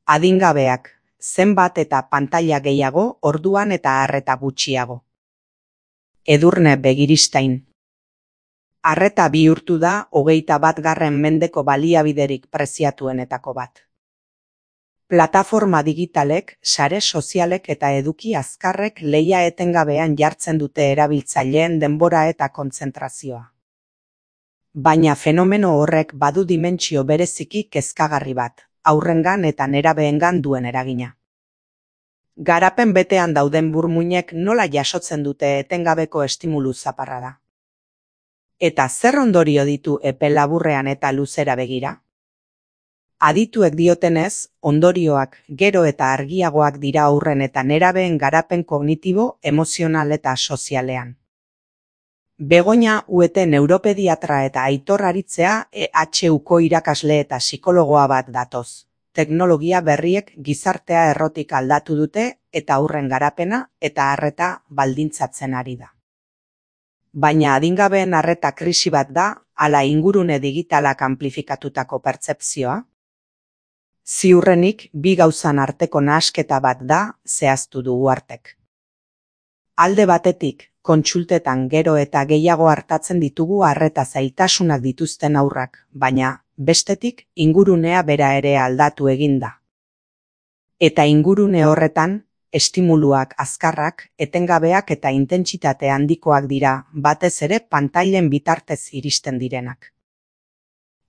Adingabeak, zenbat eta pantaila gehiago, orduan eta arreta gutxiago. Edurne Begiristain. Arreta bihurtu da 21. mendeko baliabiderik preziatuenetako bat. Plataforma digitalek, sare sozialek eta eduki azkarrek lehia etengabean jartzen dute erabiltzaileen denbora eta kontzentrazioa. Baina fenomeno horrek badu dimentsio bereziki kezkagarri bat, haurrengan eta nerabeengan duen eragina. Garapen betean dauden burmuinek nola jasotzen dute etengabeko estimulu zaparrada. Eta zer ondorio ditu epe laburrean eta luzera begira? Adituek diotenez, ondorioak gero eta argiagoak dira haurren eta nerabeen garapen kognitibo, emozional eta sozialean. Begoña Uete neuropediatra eta Aitor Aritzea EHUko irakasle eta psikologoa bat datoz. Teknologia berriek gizartea errotik aldatu dute eta haurren garapena eta arreta baldintzatzen ari da. Baina adingabeen arreta krisi bat da, ala ingurune digitalak amplifikatutako pertzepzioa? Ziurrenik, bi gauzan arteko nahasketa bat da, zehaztu du Uhartek. Alde batetik, kontsultetan gero eta gehiago hartatzen ditugu arreta zailtasunak dituzten haurrak, baina, bestetik, ingurunea bera ere aldatu egin da. Eta ingurune horretan, estimuluak azkarrak, etengabeak eta intentsitate handikoak dira, batez ere pantailen bitartez iristen direnak.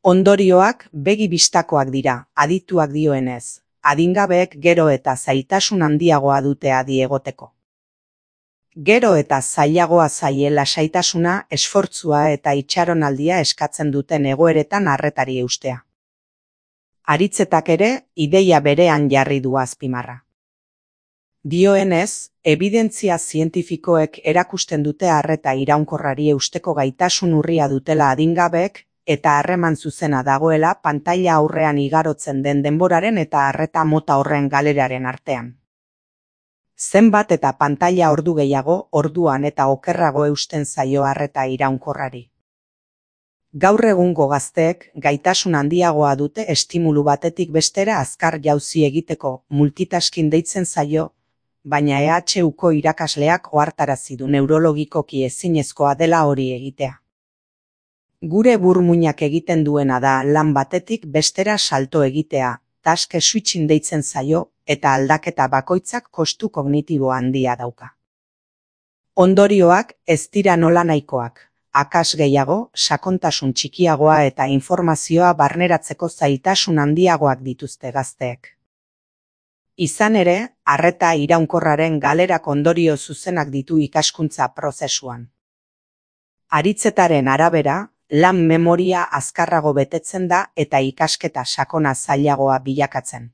Ondorioak begi bistakoak dira, adituak dioenez, adingabeek gero eta zailtasun handiagoa dute adi egoteko. Gero eta zailagoa zaie lasaitasuna, esfortzua eta itxaronaldia eskatzen duten egoeretan arretari eustea. Aritzetak ere, ideia berean jarri du azpimarra. Dioenez, ebidentzia zientifikoek erakusten dute arreta iraunkorrari eusteko gaitasun urria dutela adingabeek eta harreman zuzena dagoela pantaila aurrean igarotzen den denboraren eta arreta mota horren galeraren artean. Zenbat eta pantaila ordu gehiago, orduan eta okerrago eusten zaio arreta iraunkorrari. Gaur egungo gazteek gaitasun handiagoa dute estimulu batetik bestera azkar jauzi egiteko multitasking deitzen zaio, baina EHUko irakasleak ohartarazi du neurologikoki ezinezkoa dela hori egitea. Gure burmuinak egiten duena da lan batetik bestera salto egitea, task switching deitzen zaio, eta aldaketa bakoitzak kostu kognitibo handia dauka. Ondorioak ez dira nola nahikoak, akas gehiago, sakontasun txikiagoa eta informazioa barneratzeko zailtasun handiagoak dituzte gazteek. Izan ere, arreta iraunkorraren galerak ondorio zuzenak ditu ikaskuntza prozesuan. Aritzetaren arabera, lan memoria azkarrago betetzen da eta ikasketa sakona zailagoa bilakatzen.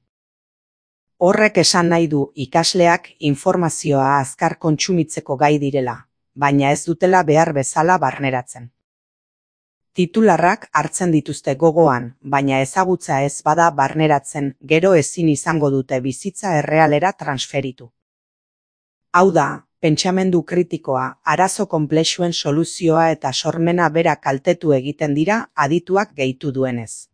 Horrek esan nahi du ikasleak informazioa azkar kontsumitzeko gai direla, baina ez dutela behar bezala barneratzen. Titularrak hartzen dituzte gogoan, baina ezagutza ez bada barneratzen, gero ezin izango dute bizitza errealera transferitu. Hau da, pentsamendu kritikoa, arazo konplexuen soluzioa eta sormena bera kaltetu egiten dira adituak gehitu duenez.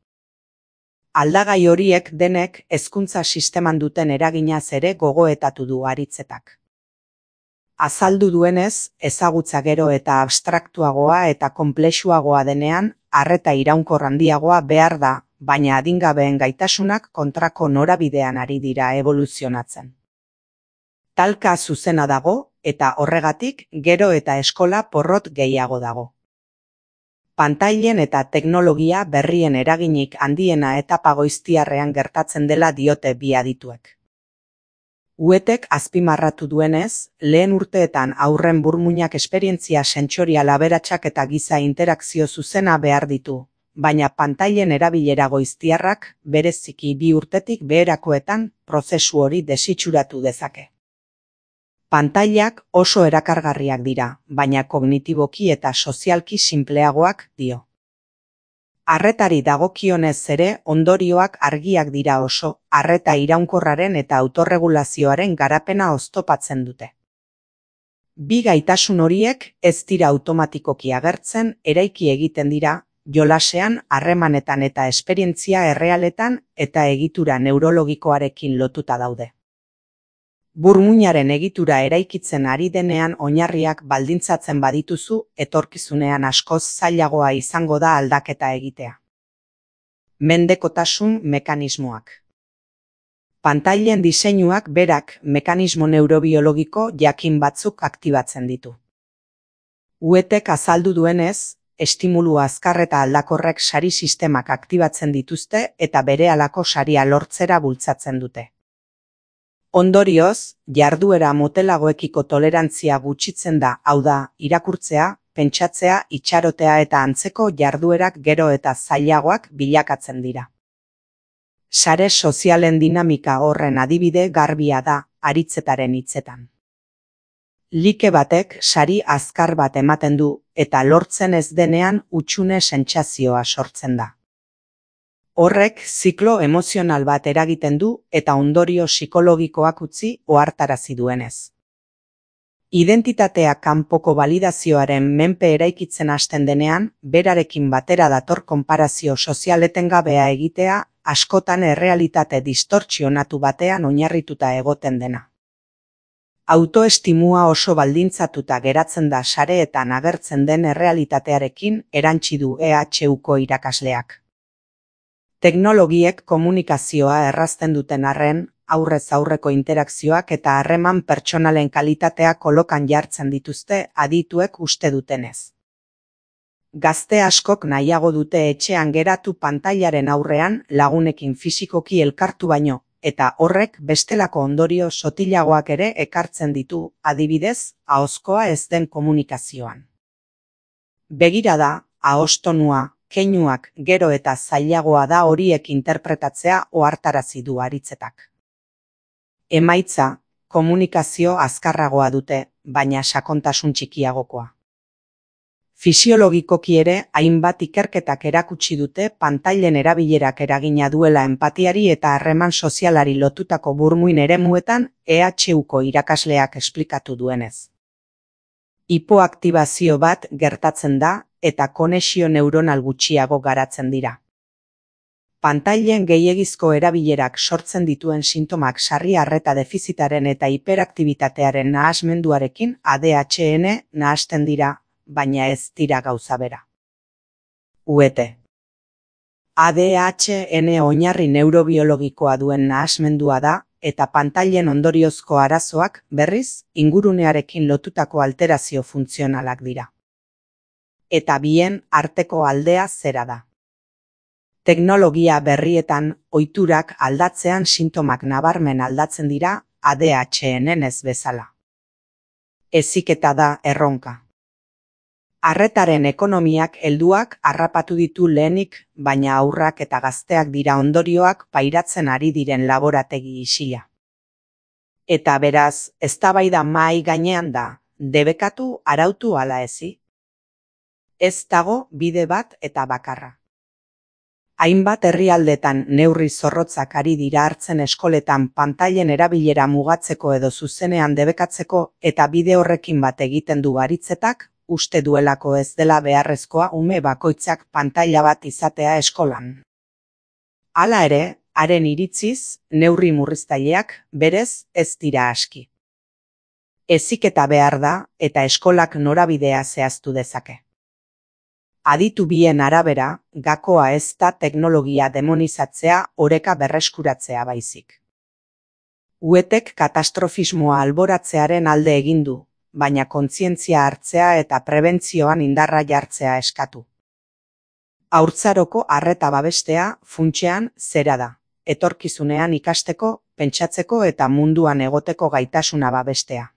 Aldagai horiek denek hezkuntza sisteman duten eraginaz ere gogoetatu du Aritzetak. Azaldu duenez, ezagutza gero eta abstraktuagoa eta konplexuagoa denean, arreta iraunkor handiagoa behar da, baina adingabeen gaitasunak kontrako norabidean ari dira evoluzionatzen. Talka zuzena dago, eta horregatik gero eta eskola porrot gehiago dago. Pantailen eta teknologia berrien eraginik handiena etapa goiztiarrean gertatzen dela diote bi adituek. Uetek azpimarratu duenez, lehen urteetan haurren burmuinak esperientzia sentsorial aberatsak eta giza interakzio zuzena behar ditu, baina pantailen erabilera goiztiarrak bereziki 2 urtetik beherakoetan prozesu hori desitxuratu dezake. Pantailak oso erakargarriak dira, baina kognitiboki eta sozialki sinpleagoak dio. Arretari dagokionez ere ondorioak argiak dira oso, arreta iraunkorraren eta autorregulazioaren garapena oztopatzen dute. Bi gaitasun horiek ez dira automatikoki agertzen, eraiki egiten dira, jolasean, harremanetan eta esperientzia errealetan eta egitura neurologikoarekin lotuta daude. Burmuinaren egitura eraikitzen ari denean oinarriak baldintzatzen badituzu, etorkizunean askoz zailagoa izango da aldaketa egitea. Mendekotasun mekanismoak. Pantailen diseinuak berak mekanismo neurobiologiko jakin batzuk aktibatzen ditu. Uetek azaldu duenez, estimulu azkar eta aldakorrek sari sistemak aktibatzen dituzte eta berehalako saria lortzera bultzatzen dute. Ondorioz, jarduera motelagoekiko tolerantzia gutxitzen da, hau da, irakurtzea, pentsatzea, itxarotea eta antzeko jarduerak gero eta zailagoak bilakatzen dira. Sare sozialen dinamika horren adibide garbia da, aritzetaren hitzetan. Like batek sari azkar bat ematen du eta lortzen ez denean hutsune sentsazioa sortzen da. Horrek ziklo emozional bat eragiten du eta ondorio psikologikoak utzi ohartarazi duenez. Identitatea kanpoko validazioaren menpe eraikitzen hasten denean, berarekin batera dator konparazio sozial etengabea egitea, askotan errealitate distortsionatu batean oinarrituta egoten dena. Autoestimua oso baldintzatuta geratzen da sareetan agertzen den errealitatearekin, erantsi du EHUko irakasleak. Teknologiek komunikazioa errazten duten arren, aurrez aurreko interakzioak eta harreman pertsonalen kalitatea kolokan jartzen dituzte adituek uste dutenez. Gazte askok nahiago dute etxean geratu pantailaren aurrean lagunekin fisikoki elkartu baino, eta horrek bestelako ondorio sotilagoak ere ekartzen ditu, adibidez, ahozkoa ez den komunikazioan. Begirada, ahoztonua, keinuak gero eta zailagoa da horiek interpretatzea ohartarazi du aritzetak. Emaitza, komunikazio azkarragoa dute, baina sakontasun txikiagokoa. Fisiologikoki ere, hainbat ikerketak erakutsi dute pantailen erabilerak eragina duela enpatiari eta harreman sozialari lotutako burmuin eremuetan EHUko irakasleak esplikatu duenez. Hipoaktibazio bat gertatzen da eta konexio neuronal gutxiago garatzen dira. Pantailen gehiegizko erabilerak sortzen dituen sintomak sarri arreta defizitaren eta hiperaktibitatearen nahasmenduarekin ADHN nahasten dira, baina ez dira gauza bera. Uete. ADHN oinarri neurobiologikoa duen nahasmendua da, eta pantailen ondoriozko arazoak, berriz, ingurunearekin lotutako alterazio funtzionalak dira. Eta bien arteko aldea zera da. Teknologia berrietan ohiturak aldatzean sintomak nabarmen aldatzen dira ADHN ez bezala. Heziketa da erronka. Arretaren ekonomiak helduak harrapatu ditu lehenik, baina haurrak eta gazteak dira ondorioak pairatzen ari diren laborategi isila. Eta beraz, eztabaida mahai gainean da, debekatu arautu ala ezi. Ez dago bide bat eta bakarra. Hainbat herrialdetan neurri zorrotzak ari dira hartzen eskoletan pantailen erabilera mugatzeko edo zuzenean debekatzeko eta bide horrekin bat egiten du aritzetak, uste duelako ez dela beharrezkoa ume bakoitzak pantaila bat izatea eskolan. Hala ere, haren iritziz, neurri murriztaileak berez ez dira aski. Heziketa behar da eta eskolak norabidea zehaztu dezake. Aditu bien arabera, gakoa ez da teknologia demonizatzea oreka berreskuratzea baizik. Uetek katastrofismoa alboratzearen alde egin du, baina kontzientzia hartzea eta prebentzioan indarra jartzea eskatu. Haurtzaroko arreta babestea funtsean zera da, etorkizunean ikasteko, pentsatzeko eta munduan egoteko gaitasuna babestea.